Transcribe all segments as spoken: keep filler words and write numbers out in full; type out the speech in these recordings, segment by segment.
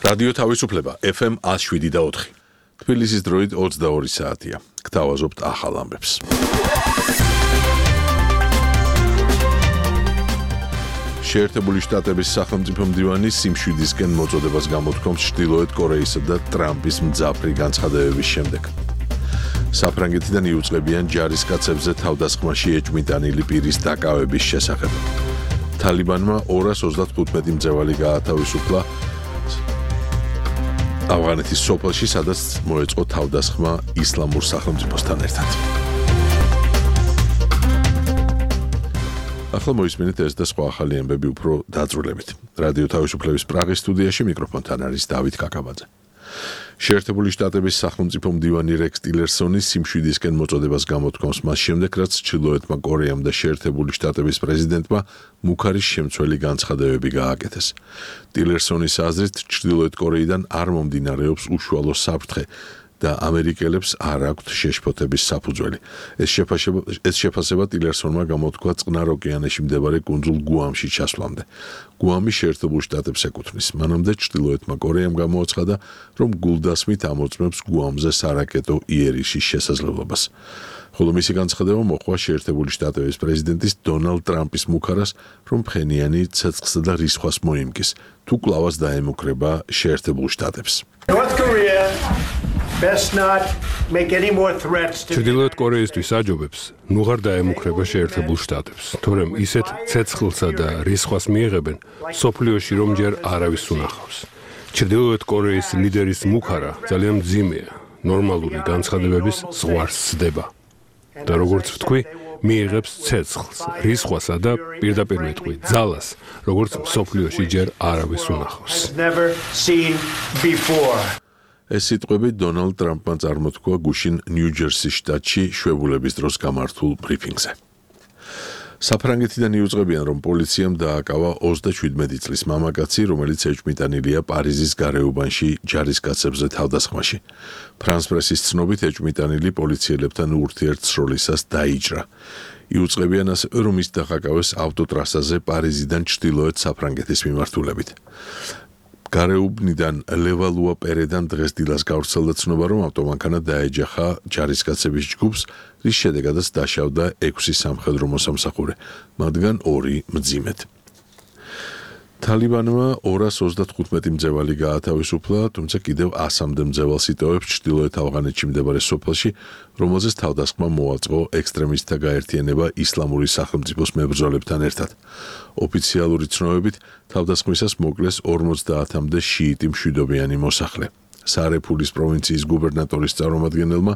რადიო თავისუფლება ეფ ემ one oh seven და four. თბილისის დროით ოცდაორი საათია. გთავაზობთ ახალ ამბებს. შეერთებული შტატების სახელმწიფო მდივანი სიმშვიდისკენ მოწოდებას გამოთქვამს ჩრდილოეთ კორეისა და ტრამპის მძაფრი განცხადებების შემდეგ. საფრანგეთიდან იუწყებიან ჯარისკაცებზე თავდასხმაში ეჭვმიტანილი პირის დაკავების შესახებ. თალიბანმა ორას ოცდათხუთმეტი მძევალი გაათავისუფლა ავღანეთის სოფელში, სადაც მოეწყო თავდასხმა ისლამურ სახელმწიფოსთან ერთად. ახლა მოისმინეთ ეს და სხვა ახალი ამბები უფრო დაწვრილებით. რადიო თავისუფლების პრაღის სტუდიაში მიკროფონთან არის დავით კაკაბაძე. შეერთებული შტატების სახელმწიფო მდივანი რექს ტილერსონი სიმშვიდისკენ მოწოდებას გამოთქვამს მას შემდეგ, რაც ჩრდილოეთმა კორეამ და შეერთებული შტატების პრეზიდენტმა მუქარის შემცველი განცხადებები გააკეთეს. ტილერსონის აზრით, ჩრდილოეთ კორეიდან არ მომდინარეობს უშუალო საფრთხე და ამერიკელებს არ აქვთ შეშფოთების საფუძველი. ეს შეფასება ეს შეფასება ტილერსონმა გამოთქვა წყნარ ოკეანეში მდებარე კუნძულ გუამში ჩასვლამდე. გუამი შეერთებულ შტატებს ეკუთვნის. მანამდე ჩრდილოეთმა კორეამ გამოაცხადა, რომ გულდასმით ამოწმებს გუამზე სარაკეტო იერიშის შესაძლებლობას. ხოლო მისი განცხადება მოჰყვა შეერთებული შტატების პრეზიდენტის დონალდ ტრამპის მუქარას, რომ ფხენიანი ცეცხლსა და რისხვას მოიმკის, თუ კვლავაც დაემუქრება შეერთებულ შტატებს. ჩრდილოეთ კორეისთვის აჯობებს ნუღარ დაემუქრება შეერთებულ შტატებს, თორემ ისეთ ცეცხლსა და რისხვას მიიღებენ, სოფლიოში რომ ჯერ არავის უნახავს. ჩრდილოეთ კორეის ლიდერის მუქარა ძალიან მძიმეა, ნორმალური განცხადებების ზღვარს სდება. და როგორც ვთქვი, მიიღებს ცეცხლს, რისხვასა და პირდაპირ ვეთქვი, ძალას, როგორც სოფლიოში ჯერ არავის უნახავს. ეს სიტყვები დონალდ ტრამპმა წარმოთქვა გუშინ ნიუ-ჯერსის შტატში შვებულების დროს გამართულ ბრიფინგზე. საფრანგეთიდან იუწყებიან, რომ პოლიციამ დააკავა ოცდაშვიდმეტი წლის მამაკაცი, რომელიც ეჭვმიტანილია პარიზის გარეუბანში ჯარისკაცებზე თავდასხმაში. ფრანს პრესის ცნობით, ეჭვმიტანილი პოლიციელებთან ურთიერთსროლისას დაიჭრა. იუწყებიან ასევე, რომ ის დახაკავეს ავტოტრასაზე პარიზიდან ჩრდილოეთ საფრანგეთის მიმართულებით. გარეუბნიდან ლევალუა პერედან დღეს დილას გავრცელდა ცნობა, რომ ავტომანქანა დაეჯახა ჯარისკაცების ჯგუფს, რის შედეგადაც დაშავდა ექვსი სამხედრო მოსამსახურე, მათგან ორი მძიმედ. თალიბანმა ორას ოცდათხუთმეტი მძევალი გაათავისუფლა, თუმცა კიდევ ასამდე მძევალს იტოვებს ჩრდილოეთ ავღანეთში მდებარე სოფელში, რომელზეც თავდასხმა მოაწყო ექსტრემისტთა გაერთიანება ისლამური სახელმწიფოს მებრძოლებთან ერთად. ოფიციალური ცნობებით, თავდასხმისას მოკლეს ორმოცდაათამდე შიიტი მშვიდობიანი მოსახლე. სარეფულის პროვინციის გუბერნატორის წარმომადგენელმა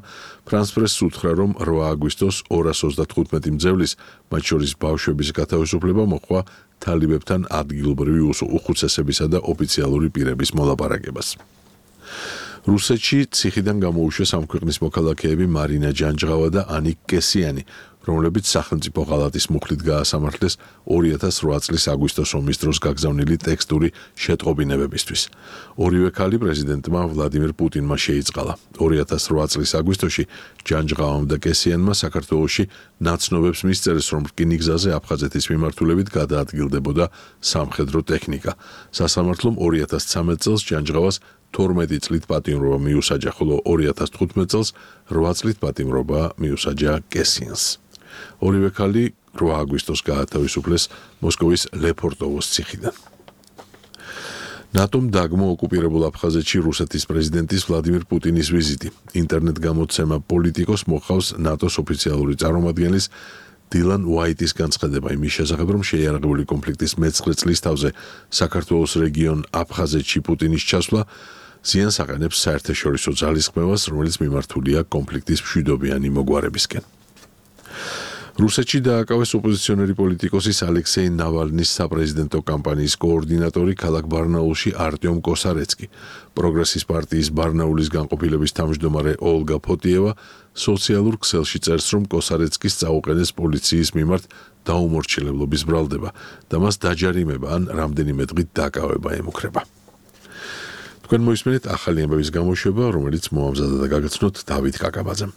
ფრანს პრესს უთხრა, რომ რვა აგვისტოს ორას ოცდათხუთმეტი მძევლის, მათ შორის ბავშვების გათავისუფლება მოჰყვა თალიბებთან ადგილობრივი უხუცესებისა და ოფიციალური პირების მოლაპარაკებას. რუსეთში ციხიდან გამოუშვეს ამ ქვეყნის მოქალაქეები მარინა ჯანჯღავა და ანიკ კესიანი, რომლებიც სახელმწიფო ღალატის მუხლით გაასამართლეს ორი ათას რვა წლის აგვისტოს ომის დროს გაგზავნილი ტექსტური შეტყობინებებისთვის. ორივე ქალი პრეზიდენტმა ვლადიმირ პუტინმა შეიწყალა. ორი ათას რვა წლის აგვისტოში ჯანჯღავამ და კესიანმა საქართველოში ნაცნობებს მისწერეს, რომ რკინიგზაზე აფხაზეთის მიმართულებით გადაადგილდებოდა სამხედრო ტექნიკა. სასამართლომ ორი ათას ცამეტ წელს ჯანჯღავას თორმეტი წლით პატიმრობა მიუსაჯა, ხოლო ორი ათას თხუთმეტ წელს რვა წლით პატიმრობა მიუსაჯა კესიანს. ორივე ქალი რვა აგვისტოს გაათავისუფლეს მოსკოვის ლეფორტოვოს ციხიდან. ნატომ დაგმო ოკუპირებულ აფხაზეთში რუსეთის პრეზიდენტის ვლადიმირ პუტინის ვიზიტი. ინტერნეტ გამოცემა პოლიტიკოს მოხავს ნატოს ოფიციალური წარმომადგენლის დილან უაიტის განცხადება იმის შესახებ, რომ შეიარაღებული კონფლიქტის მეცხრე წლის თავზე საქართველოს რეგიონ აფხაზეთში პუტინის ჩასვლა ზიანს აყენებს საერთაშორისო ძალისხმევას, რომელიც მიმართულია კონფლიქტის მშვიდობიანი მოგვარებისკენ. რუსეთში დააკავეს ოპოზიციონერი პოლიტიკოსის ალექსეი ნავალნის საპრეზიდენტო კამპანიის კოორდინატორი ქალაქ ბარნაულში არტიომ კოსარეცკი. პროგრესის პარტიის ბარნაულის განყოფილების თავმჯდომარე ოლგა ფოტიევა სოციალურ ქსელში წერს, რომ კოსარეცკის წაუყენეს პოლიციის მიმართ დაუმორჩილებლობის ბრალდება და მას დაჯარიმება ან რამდენიმე დღით დაკავება ემუქრება. თქვენ მოისმენთ ახალი ამბების გამოშვება, რომელიც მოამზადა და გაგაცნოთ დავით კაკაბაძემ.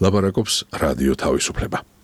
ლაპარაკობს რადიო თავისუფლება.